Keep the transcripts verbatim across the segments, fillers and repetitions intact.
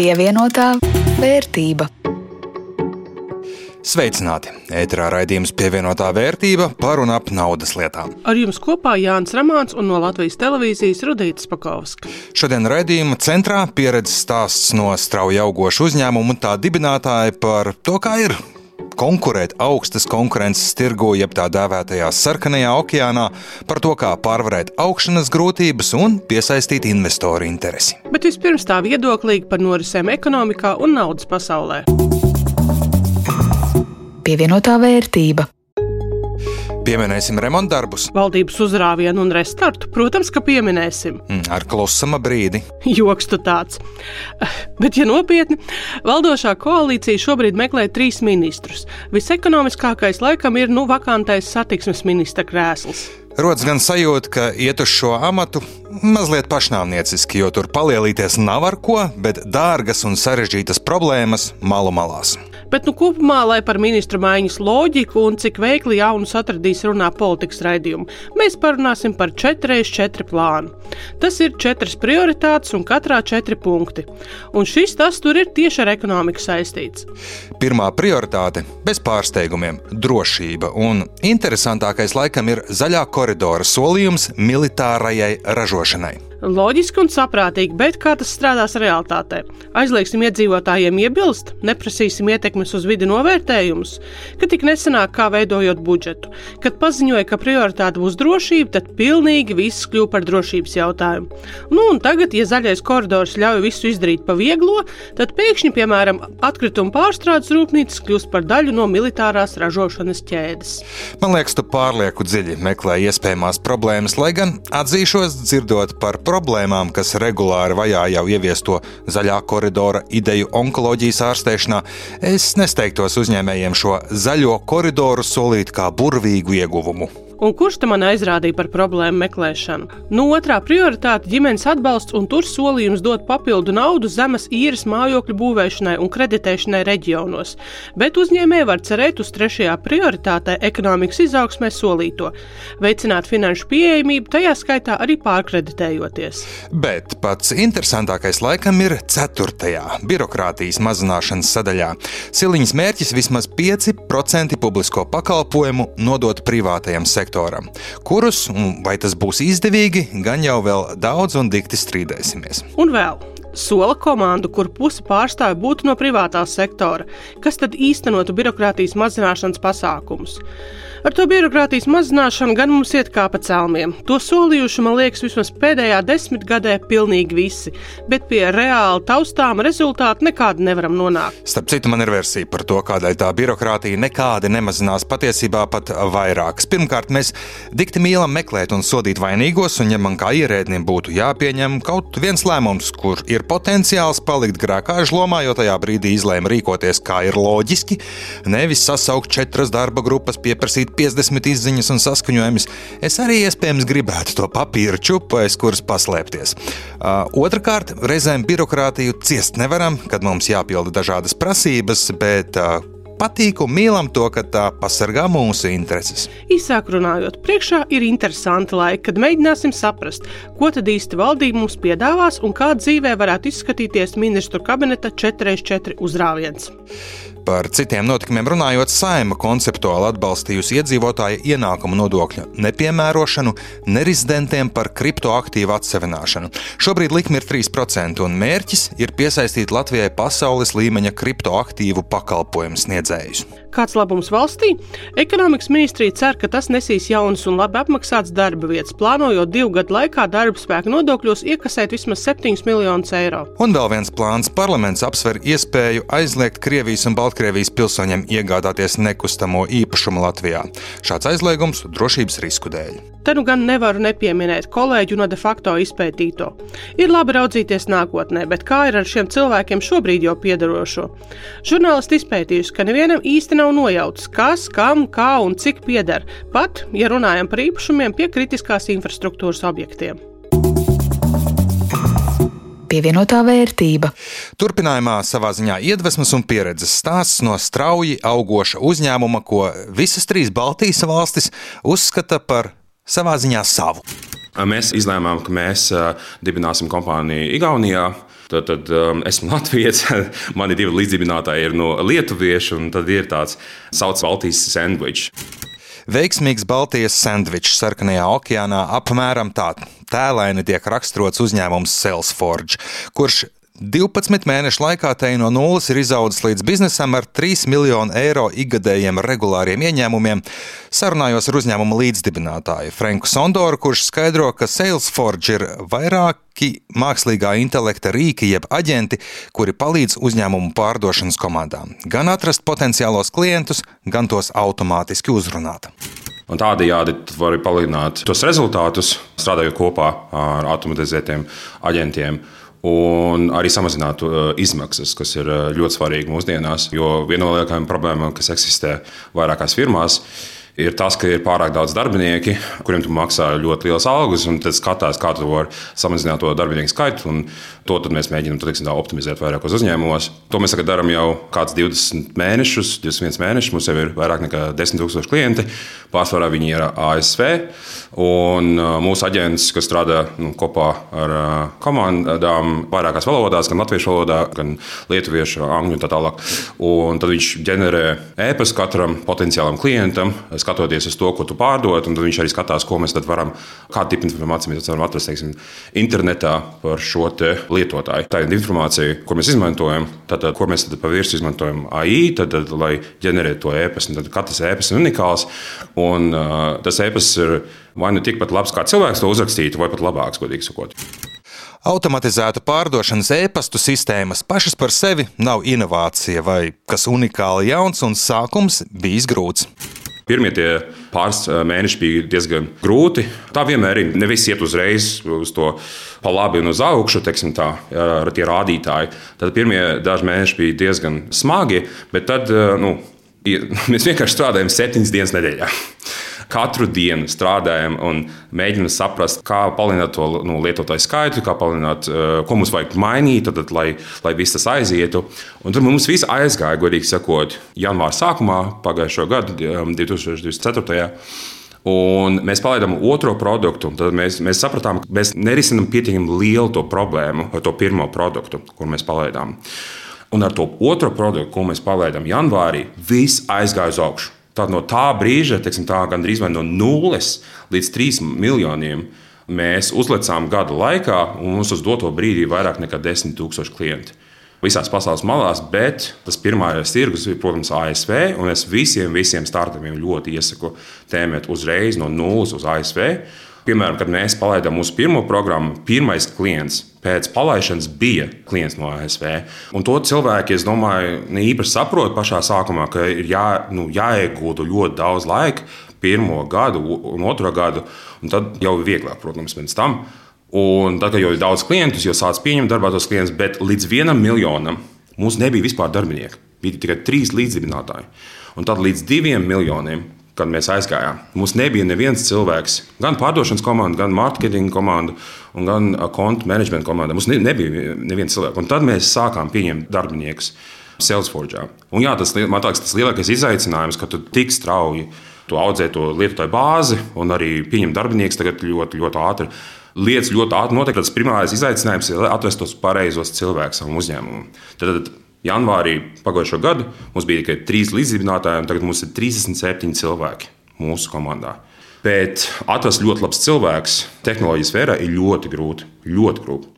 Pievienotā vērtība. Sveicināti! Ēterā raidījums Pievienotā vērtība par un ap naudas lietām. Ar jums kopā Jānis Ramāns un no Latvijas televīzijas Rudīta Spakovska. Šodien raidījuma centrā pieredzes stāsts no strauji augošu uzņēmumu un tā dibinātāja par to, kā ir konkurēt augstas konkurences tirgu, jeb tā dēvētajā sarkanajā okeānā, par to, kā pārvarēt augšanas grūtības un piesaistīt investoru interesi. Bet vispirms tā viedoklīgi par norisēm ekonomikā un naudas pasaulē. Pievienotā vērtība. Pieminēsim remontdarbus. Valdības uzrāvienu un restartu, protams, ka pieminēsim. Ar klusuma brīdi. Joks tu tāds. Bet, ja nopietni, valdošā koalīcija šobrīd meklē trīs ministrus. Visekonomiskākais laikam ir nu vakantais satiksmes ministra krēsls. Rodas gan sajūta, ka iet uz šo amatu mazliet pašnāvnieciski, jo tur palielīties nav ar ko, bet dārgas un sarežģītas problēmas malu malās. Bet nu kopumā, lai par ministru maiņas loģiku un cik veikli jaunus atradīs runā politikas raidījumu, mēs parunāsim par četri reiz četri plānu. Tas ir četras prioritātes un katrā četri punkti. Un šis tas tur ir tieši ar ekonomiku saistīts. Pirmā prioritāte – bez pārsteigumiem – drošība. Un interesantākais laikam ir zaļā koridora solījums militārajai ražošanai. Loģiski un saprātīgi, bet kā tas strādās realitātē? Aizliegsim iedzīvotājiem iebilst, neprasīsim ietekmes uz vidi novērtējumus, ka tik nesenāk kā veidojot budžetu. Kad paziņoja, ka prioritāte būs drošība, tad pilnīgi viss kļuva par drošības jautājumu. Nu un tagad, ja zaļais koridors ļauj visu izdarīt pa vieglo, tad pēkšņi, piemēram, atkrituma pārstrādes rūpnīcas kļūst par daļu no militārās ražošanas ķēdes. Man liekas, tu pārlieku dziļi meklē iespējamās problēmas, lai gan atzīšos dzirdot par problēmām, kas regulāri vajā jau ieviesto zaļā koridora ideju onkoloģijas ārstēšanā, es nesteigtos uzņēmējiem šo zaļo koridoru solīt kā burvīgu ieguvumu. Un kurš te man aizrādīja par problēmu meklēšanu? Nu, otrā prioritāte – ģimenes atbalsts, un tur solījums dot papildu naudu zemes īres mājokļu būvēšanai un kreditēšanai reģionos. Bet uzņēmēji var cerēt uz trešajā prioritātē ekonomikas izaugsmē solīto – veicināt finanšu pieejamību, tajā skaitā arī pārkreditējoties. Bet pats interesantākais laikam ir ceturtajā – birokrātijas mazināšanas sadaļā. Siliņas mērķis vismaz pieci procenti publisko pakalpojumu nodot privātajam sektoram. Kurus, vai tas būs izdevīgi, gan jau vēl daudz un dikti strīdēsimies. Un vēl sola komandu, kur pusi pārstāvi būtu no privātā sektora, kas tad īstenotu birokrātijas mazināšanas pasākumus. Ar to birokrātijas mazināšanu gan mums iet kā pa celmiem. To solījuši, man liekas, vismaz pēdējā desmitgadē pilnīgi visi, bet pie reāli taustāma rezultāta nekādi nevaram nonākt. Starp citu, man ir versija par to, kādēļ tā birokrātija nekādi nemazinās, patiesībā pat vairākas. Pirmkārt, mēs dikti mīlam meklēt un sodīt vainīgos, un ja man kā ierēdnim būtu jāpieņem kaut viens lēmums, kur ir potenciāls palikt grēkāžu lomā, jo tajā brīdī izlēma rīkoties kā ir loģiski, nevis sasaukt četras darba grupas, pieprasīt piecdesmit izziņas un saskaņojumus, es arī iespējams gribētu to papīru čupu, aiz kuras paslēpties. Uh, otrakārt, reizēm birokrātiju ciest nevaram, kad mums jāpilda dažādas prasības, bet uh, patīk un mīlam to, ka tā pasargā mūsu intereses. Īsāk runājot, priekšā ir interesanti laiki, kad mēģināsim saprast, ko tad īsti valdība mums piedāvās un kā dzīvē varētu izskatīties ministru kabineta četri reiz četri uzrāviens. Par citiem notikumiem runājot, Saeima konceptuāli atbalstījusi iedzīvotāju ienākumu nodokļa nepiemērošanu nerezidentiem par kriptoaktīvu atsevināšanu. Šobrīd likme ir trīs procenti un mērķis ir piesaistīt Latvijai pasaules līmeņa kriptoaktīvu pakalpojumu sniedzējus. Kāds labums valstī? Ekonomikas ministrija cer, ka tas nesīs jaunas un labi apmaksātas darba vietas, plānojot divu gadu laikā darba spēka nodokļos iekasēt vismaz septiņus miljonus eiro. Un vēl viens plāns – parlaments apsver iespēju aizliegt Krievijas un Baltkrievijas pilsoņiem iegādāties nekustamo īpašumu Latvijā. Šāds aizliegums drošības risku dēļ. Te nu gan nevaru nepieminēt kolēģu no de facto izpētīto. Ir labi raudzīties nākotnē, bet kā ir ar šiem cilvēkiem šobrīd jau piederošo? Žurnālisti izpētījuši, ka nevienam īsti nav nojautas, kas, kam, kā un cik pieder, pat, ja runājam par īpašumiem pie kritiskās infrastruktūras objektiem. Pievienotā vērtība. Turpinājumā savā ziņā iedvesmas un pieredzes stāsts no strauji augoša uzņēmuma, ko visas trīs Baltijas valstis uzskata par savā ziņā savu. Mēs izlēmām, ka mēs dibināsim kompāniju Igaunijā. Tad, tad um, esmu Latvijas, mani divi līdzdibinātāji ir no lietuviešu, un tad ir tāds sauc Baltijas sandvičs. Veiksmīgs Baltijas sandvičs Sarkanajā okeānā apmēram tā tēlaini tiek raksturots uzņēmums Salesforge, kurš divpadsmit mēnešu laikā te no nulles ir izaudzis līdz biznesam ar trīs miljonu eiro ikgadējiem regulāriem ieņēmumiem. Sarunājos ar uzņēmuma līdzdibinātāju Franku Sondoru, kurš skaidro, ka Salesforge ir vairāki mākslīgā intelekta rīki jeb aģenti, kuri palīdz uzņēmumu pārdošanas komandām gan atrast potenciālos klientus, gan tos automātiski uzrunāt. Un tādējādi var palielināt tos rezultātus, strādājot kopā ar automatizētiem aģentiem. Un arī samazināt uh, izmaksas, kas ir uh, ļoti svarīgi mūsdienās. Jo viena no lielākajām problēmām, kas eksistē vairākās firmās, ir tas, ka ir pārāk daudz darbinieki, kuriem tu maksā ļoti lielas algas, un tad skatās, kā tu vari samazināt to darbinieku skaitu. Un to mēs mēģinām teiksim, optimizēt vairākos uzņēmumos. To mēs darām jau kāds divdesmit mēnešus, divdesmit viens mēnešus. Mums jau ir vairāk nekā desmit tūkstoši klienti. Pārsvarā viņi ir A S V. Un mūsu aģents, kas strādā nu, kopā ar komandām vairākās valodās, gan latviešu valodā, gan lietuviešu, angļu un tā tālāk. Un tad viņš ģenerē e-pastu katram potenciālam klientam, skatoties uz to, ko tu pārdod, un tad viņš arī skatās, ko mēs tad varam, kādu tipu informāciju mēs varam atrast, teiksim, internetā par šo te lietotāju. Tā ir informācija, ko mēs izmantojam, tad, ko mēs tad pa virsmu izmantojam A I, tad, tad, lai ģenerētu to e-pastu, tad katrs e-pasts ir unikāls, un uh, tas e-pasts ir vai nu tikpat labs, kā cilvēks to uzrakstītu, vai pat labāks, godīgi sakot. Automatizēta pārdošanas e-pastu sistēmas pašas par sevi nav inovācija vai kas unikāli jauns, un sākums bijis grūts. Pirmie tie pāris mēneši bija diezgan grūti. Tā vienmēr ir. Ne viss iet uzreiz uz to pa labi un uz augšu, teiksim tā, ar tie rādītāji. Tad pirmie daži mēneši bija diezgan smagi, bet tad, nu, mēs vienkārši strādājam septiņas dienas nedēļā. Katru dienu strādājam un mēģinām saprast, kā palielināt to nu, lietotāju skaitu, kā palielināt, ko mums vajag mainīt, tad, lai, lai viss tas aizietu. Un tur mums viss aizgāja, godīgi sakot, janvāra sākumā, pagājušo gadu, divi tūkstoši divdesmit ceturtajā. Un mēs palaidām otro produktu. Tad mēs, mēs sapratām, ka mēs nerisinām pietiekami lielu to problēmu ar to pirmo produktu, kur mēs palaidām. Un ar to otro produktu, ko mēs palaidām janvārī, viss aizgāja uz augšu. Tad no tā brīža, teiksim, tā gandrīz vai no nulles līdz trīs miljoniem, mēs uzlecām gada laikā, un mums uz doto brīdī vairāk nekā desmit tūkstoši klienti. Visās pasaules malās, bet tas pirmais tirgus ir, protams, A S V, un es visiem, visiem startupiem ļoti iesaku tēmēt uzreiz no nulles uz A S V. Piemēram, kad mēs palaidām mūsu pirmo programmu, pirmais klients pēc palaišanas bija klients no A S V. Un to cilvēki, es domāju, ne īpaši saprot pašā sākumā, ka ir jā, nu, jāiegūda ļoti daudz laika, pirmo gadu un otro gadu, un tad jau ir vieglāk, protams, pēc tam. Un tad, kad jau ir daudz klientus, jau sāc pieņemt darbā tos klientus, bet līdz vienam miljonam mums nebija vispār darbinieki. Bija tikai trīs līdzdibinātāji. Un tad līdz diviem miljoniem, kad mēs aizgājām, mums nebija neviens cilvēks, gan pārdošanas komanda, gan marketinga komanda, un gan kontu menedžmenta komanda. Mums nebija neviens cilvēks. Un tad mēs sākām pieņemt darbiniekus Salesforge. Un jā, tas, man liekas, tas lielākais izaicinājums, ka tu tik strauji tu audzē to lietotāju bāzi un arī pieņem darbiniekus tagad ļoti, ļoti ātri. Lietas ļoti ātri notiek. Tas primārais izaicinājums ir atrast tos pareizos cilvēkus savam uzņēmumam. Tad, tad janvārī pagājušo gadu mums bija tikai trīs līdzdibinātāji, un tagad mums ir trīsdesmit septiņi cilvēki mūsu komandā. Bet atrast ļoti labs cilvēks tehnoloģijas sfērā ir ļoti grūti. Ļoti grūti.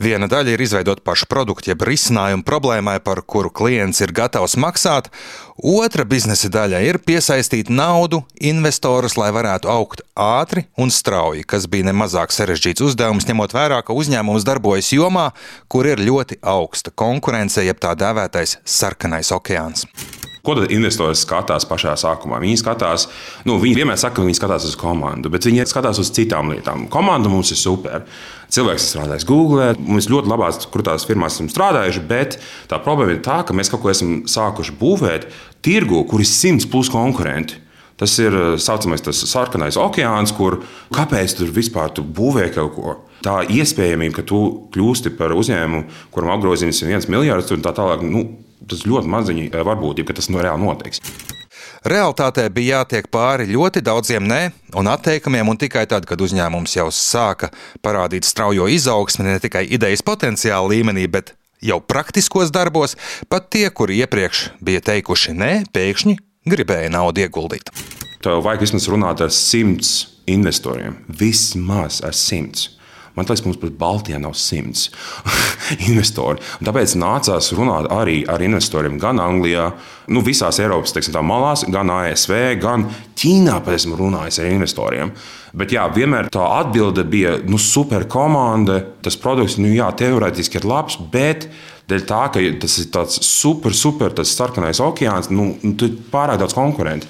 Viena daļa ir izveidot pašu produktu, jeb risinājumu problēmai, par kuru klients ir gatavs maksāt. Otra biznesa daļa ir piesaistīt naudu, investorus, lai varētu augt ātri un strauji, kas bija nemazāk sarežģīts uzdevums, ņemot vērā, ka uzņēmums darbojas jomā, kur ir ļoti augsta konkurence, jeb tā dēvētais sarkanais okeāns. Ko tad investori skatās pašā sākumā? Viņi skatās, nu, viņi vienmēr saka, ka viņi skatās uz komandu, bet viņi skatās uz citām lietām. Komanda mums ir super. Cilvēks strādājis Google, mums ļoti labās, kur tās firmās esam strādājuši, bet tā problēma ir tā, ka mēs kaut ko esam sākuši būvēt tirgu, kur ir simts plus konkurenti. Tas ir saucamais tas sarkanais okeāns, kur kāpēc tur vispār tu būvē kaut ko? Tā iespējamība, ka tu kļūsti par uzņēmumu, kuram apgrozījums ir viens miljards un tā tālāk, nu, tas ļoti maziņi varbūtība, ka tas no reāli notiks. Realtātē bija jātiek pāri ļoti daudziem nē un atteikumiem, un tikai tad, kad uzņēmums jau sāka parādīt straujo izaugsmi ne tikai idejas potenciāla līmenī, bet jau praktiskos darbos, pat tie, kuri iepriekš bija teikuši nē, pēkšņi gribēja naudu ieguldīt. Tev vajag vismaz runāt ar simts investoriem. Vismaz ar simts. Man liekas, mums pat Baltijā nav simts investori. Un tāpēc nācās runāt arī ar investoriem gan Anglijā, nu visās Eiropas teiksim, tā malās, gan A S V, gan Ķīnā pat esmu runājis ar investoriem. Bet jā, vienmēr tā atbilde bija nu, super komanda, tas produkts, nu jā, teorētiski ir labs, bet dēļ tā, ka tas ir tāds super, super tas sarkanais okeāns, nu, tu pārāk daudz konkurenti.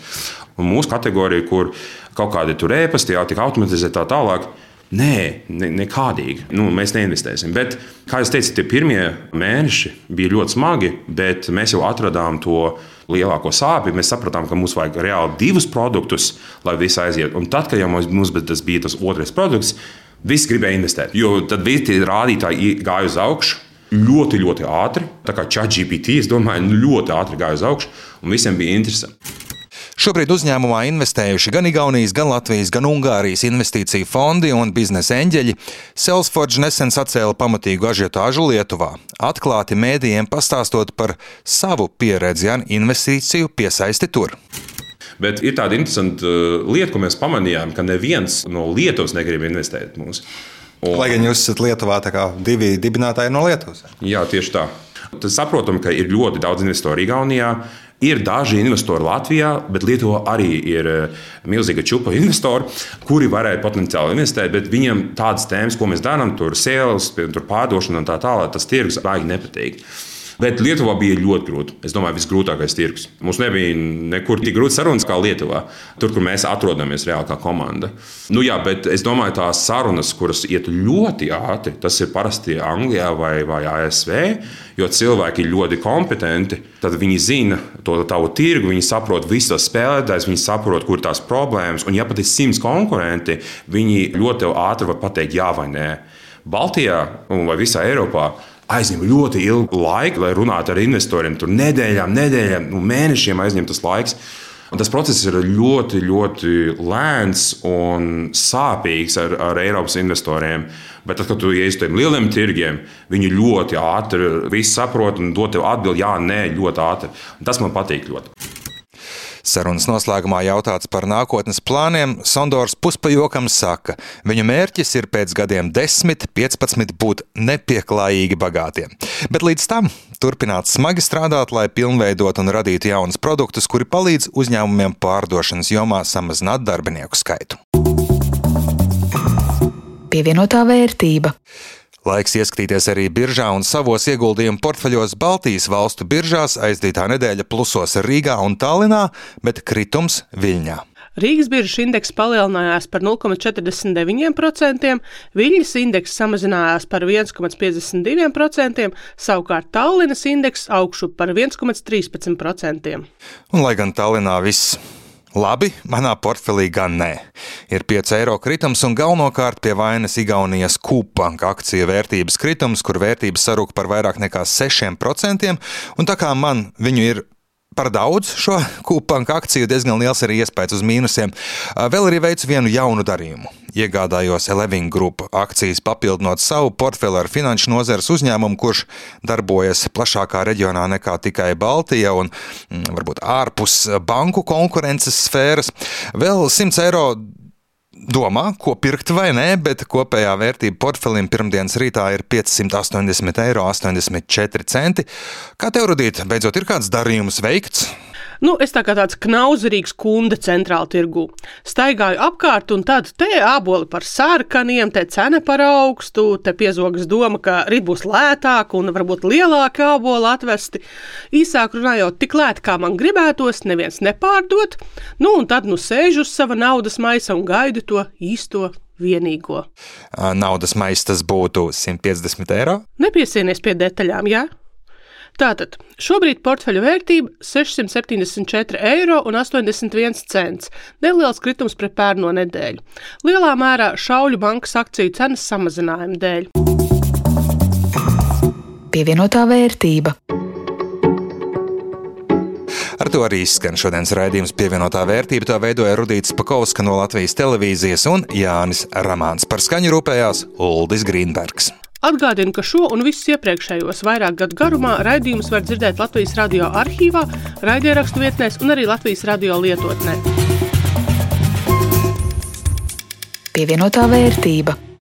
Un mūsu kategorija, kur kaut kādi tur ēpasti jau tik automatizēt tā tālāk, Nē, ne, nekādīgi. Nu, mēs neinvestēsim. Bet, kā jau teicu, tie pirmie mēneši bija ļoti smagi, bet mēs jau atradām to lielāko sāpju. Mēs sapratām, ka mums vajag reāli divus produktus, lai viss aiziet. Un tad, kad jau mums tas bija tas otrais produkts, visi gribēja investēt. Jo tad visi tie rādītāji gāja uz augšu. Ļoti, ļoti ātri. Tā kā ChatGPT, es domāju, ļoti ātri gāja uz augšu. Un visiem bija interesanti. Šobrīd uzņēmumā investējuši gan Igaunijas, gan Latvijas, gan Ungārijas investīciju fondi un biznesa eņģeļi. Salesforce nesen sacēla pamatīgu ažiotāžu Lietuvā, atklāti mēdījiem pastāstot par savu pieredzi un investīciju piesaisti tur. Bet ir tāda interesanta lieta, ko mēs pamanījām, ka neviens no Lietuvas negrib investēt mūs. Un... Lai gan jūs esat Lietuvā, tā kā divi dibinātāji no Lietuvas. Jā, tieši tā. Tad saprotam, ka ir ļoti daudz investoru Igaunijā. Ir daži investori Latvijā, bet Lietuvā arī ir milzīga čupa investori, kuri varēja potenciāli investēt, bet viņiem tādas tēmas, ko mēs darām, tur sales, tur pārdošana un tā tālāk, tas tirgus baigi nepatīk. Bet Lietuvā bija ļoti grūti. Es domāju, visgrūtākais tirgus. Mums nebija nekur tik grūti sarunas kā Lietuvā, tur, kur mēs atrodamies reāli kā komanda. Nu jā, bet es domāju, tās sarunas, kuras iet ļoti ātri, tas ir parasti Anglijā vai, vai A S V, jo cilvēki ir ļoti kompetenti, tad viņi zina to tavu tirgu, viņi saprot visu tās spēlētājs, viņi saprot, kur ir tās problēmas, un ja pat ir simts konkurenti, viņi ļoti ātri var pateikt jā vai nē. Baltijā vai visā Eiropā aizņem ļoti ilgu laiku, lai runātu ar investoriem. Tur nedēļām, nedēļām, nu, mēnešiem aizņem tas laiks. Un tas process ir ļoti, ļoti lēns un sāpīgs ar, ar Eiropas investoriem. Bet tad, kad tu ieies uz tiem lieliem tirgiem, viņi ļoti ātri visu saprot un dod tev atbildi, jā, nē, ļoti ātri. Un tas man patīk ļoti. Sarunas noslēgumā jautāts par nākotnes plāniem. Sondors puspajokam saka, viņu mērķis ir pēc gadiem desmit, piecpadsmit būt nepieklājīgi bagātiem. Bet līdz tam turpināt smagi strādāt, lai pilnveidot un radītu jaunus produktus, kuri palīdz uzņēmumiem pārdošanas jomā samazināt darbinieku skaitu. Pievienotā vērtība. Laiks ieskatīties arī biržā un savos ieguldījumu portfeļos. Baltijas valstu biržās aizdītā nedēļa plusos Rīgā un Tallinā, bet kritums Viļņā. Rīgas biržas indeks palielinājās par nulle komats četrdesmit deviņi procenti, Viļņas indeks samazinājās par viens komats piecdesmit divi procenti, savukārt Tallinas indeks augšu par viens komats trīspadsmit procenti. Un lai gan Tallinā viss labi, manā portfelī gan nē. Ir pieci eiro kritums un galvenokārt pie vainas Igaunijas Kūpanka akciju vērtības kritums, kur vērtības sarūk par vairāk nekā sešiem procentiem, un tā kā man viņu ir par daudz šo Kūpanka akciju, diezgan liels arī iespējas uz mīnusiem. Vēl arī veicu vienu jaunu darījumu. Iegādājos Eleving Group akcijas, papildinot savu portfeli ar finanšu nozares uzņēmumu, kurš darbojas plašākā reģionā nekā tikai Baltija un varbūt ārpus banku konkurences sfēras. Vēl simts eiro domā, ko pirkt vai nē, bet kopējā vērtība portfelim pirmdienas rītā ir piecsimt astoņdesmit eiro astoņdesmit četri centi. Kā tev, Rudīt, beidzot ir kāds darījums veikts? Nu, es tā kā tāds knauzerīgs kunde centrāla tirgū. Staigāju apkārt un tad te āboli par sarkaniem, te cena par augstu, te piezogas doma, ka rīt būs lētāk un varbūt lielāki āboli atvesti. Īsāk runājot, tik lēti, kā man gribētos, neviens nepārdot. Nu, un tad nu sēžu uz sava naudas maisa un gaidu to īsto vienīgo. Naudas maisa tas būtu simt piecdesmit eiro? Nepiesienies pie detaļām, jā? Tātad, šobrīd portfeļu vērtība sešsimt septiņdesmit četri eiro un astoņdesmit viens cents. Neliels kritums pret pērno nedēļu. Lielā mērā Šauļu bankas akciju cenas samazinājuma dēļ. Pievienotā vērtība. Ar Ar to arī izskan šodienas raidījums Pievienotā vērtība. To veidoja Rudīts Pakovska no Latvijas televīzijas un Jānis Ramāns. Par skaņu rūpējās Uldis Grīnbergs. Atgādinu, ka šo un visus iepriekšējos vairāk gadu garumā raidījumus var dzirdēt Latvijas radio arhīvā, raidierakstu vietnēs un arī Latvijas radio lietotnē. Pievienotā vērtība.